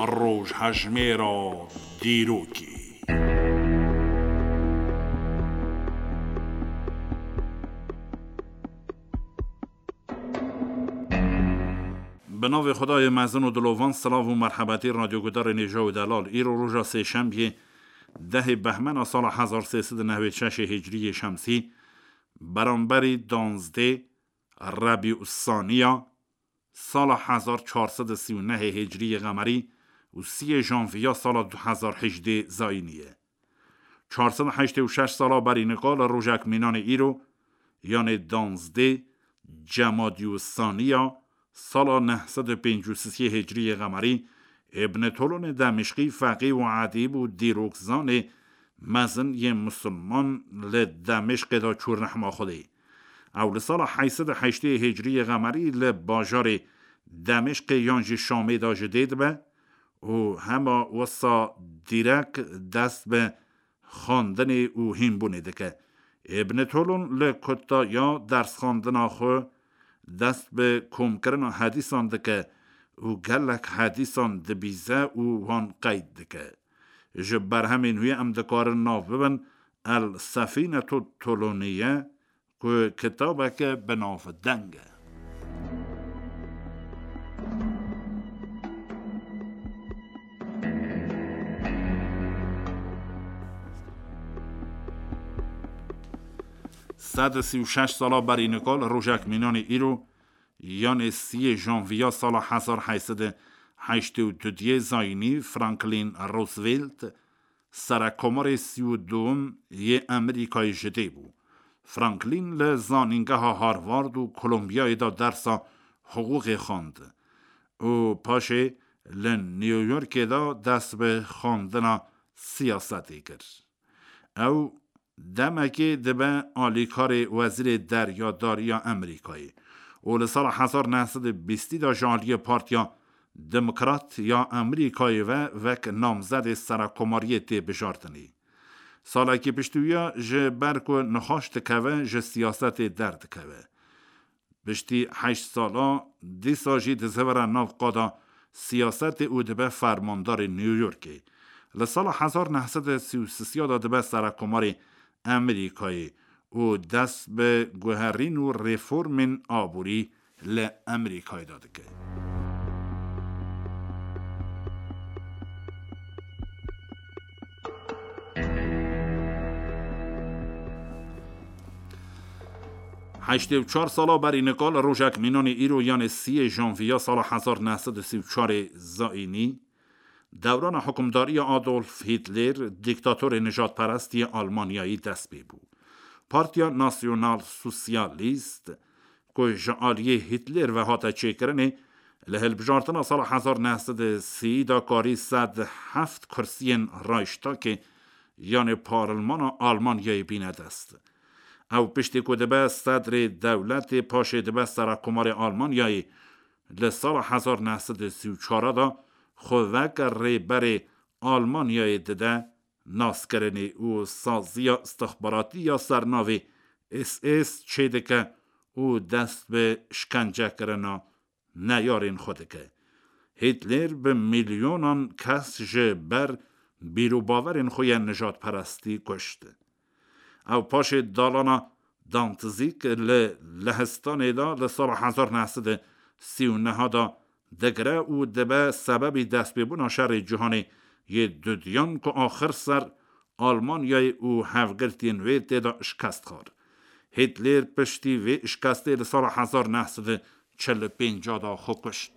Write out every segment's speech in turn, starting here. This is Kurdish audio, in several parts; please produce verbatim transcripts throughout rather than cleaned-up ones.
Rojhejmêra dîrokê. Bi navê Xwedayê mezin û dilovan, silav û merhebetî radyogudarên hêja û delal. Îro roja sêşembiyê, dehê behmena sala hezar sê sed û newêd şeşê hicriyê şemsî, beramberî danzdê Rebî Ussaniya sala hezar çar sed û sî û nehê hicriyê qemerî û siyê janviya sala du hezar hejdê zayînî ye. Çar sed û heştê û şeş sala berî nika li rojek mînanê îro, yanê danzdê Cemadî Ussaniya sala neh sed û pêncî û sisê hicriyê qemerî, Îbn Tolonê Demişqî feqî û edîb û dîrokzanê mezin yê misilman li Demişqê de çû rehma Xwedê. Ew li sala heşt sed û heştê hicriyê qemerî li bajarê Demişqê yan jî Şamê de ji dê dibe û hema wisa dîrek dest bi xwendinê û hînbûnê dike. Îbn Tolon li kutaya dersxwendina xwe dest bi komkirina hedîsan dike û gelek hedîsan dibîze û wan qeyd dike. Ji berhemên wî em dikarin nav bibin El Sefînetu Toloniye, ku kitabeke bi navdeng e. Sed û sî û şeş sala berî nika li rojek mînanê îro, yanê siyê janviya sala hezar heşt sed û heştê û duyê zayînî, Franklin Roosevelt, serekomarê sî û duyem yê Amerîkayê ji dê bû. Franklin li zanîngeha Harvard û Kolombiyayê de dersa hiqûqê xwend û paşê li New Yorkê de dest bi xwendina siyasetê kir. Ew demekê dibe alîkarê wezîrê deryadariya Amerîkayê û li sala hezar neh sed û bîstî de ji aliyê Partiya Demokrat ya Amerîkayê ve wek namzedê serekomariyê tê bijartinê. Salekî piştî wiya ji ber ku nixweş dikeve, ji siyasetê derdikeve. Piştî heşt sala dîsa jî dizivire nav qada siyasetê û dibe fermandarê New Yorkê. Li sala hezar neh sed û sî û sê de dibe serekomarê Amerîkayê û dest bi guherîn û reformên aborî li Amerîkayê de dike. Heştê û çar sala berî nika li rojek mînanê îro, yanê siyê janviya sala hezar neh sed û sî û çarê zayînî, dewrana hukimdariya Adolf Hitler, dîktatorê nijadperest yê Almanyayî dest pê bû. Partiya Nasyonal Sosyalîst, ku ji aliyê Hitler ve hate çêkirinê, li hilbijartina sala hezar neh sed û sî de karî sed heft kursiyên Reichstagê, yanê parlmana Almanyayê, bîne dest. Ew piştî ku dibe sedrê dewletê, paşê dibe serekomarê Almanyayê, li sala hezar neh sed û sî û çar de xwe weke rêberê Almanyayê dide naskirinê û saziya istixbaratî ya sernavê S S çêdike û dest bi şkencekirina neyarên xwe dike. Hitler bi milyonan kes ji ber bîr û bawerên xwe yên nijadperestî kuşt. Ew paşê dalana Dantzîg li Lehistanê de li sala hezar neh sed û sî û neh de digire û dibe sebebî destpêbûna şerê cîhanê yê dudiyan, ku axir ser Almanyayê û hevgirtiyên wê tê de şikest xwar. Hitler piştî vê şikestê li sala hezar neh sed û çil û pênc de xwe kuşt.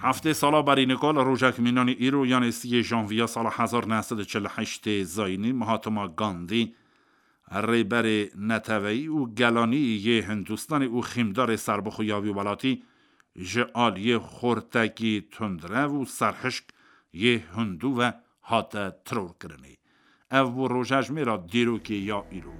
Heftê sala berî nika li rojek mînanî îro, yanê siyê janviya sala hezar neh sed û çil û heştê zayînî, Mahatma Gandhi, rêberê neteweyî û gelanî yê Hindistanê û xîmdarê serbixwe ya wî welatî, ji aliyê xortekî tundrev û serhişk yê Hindû ve hate terorkirinê. Ev bû rojejmêra dîrokê ya îro.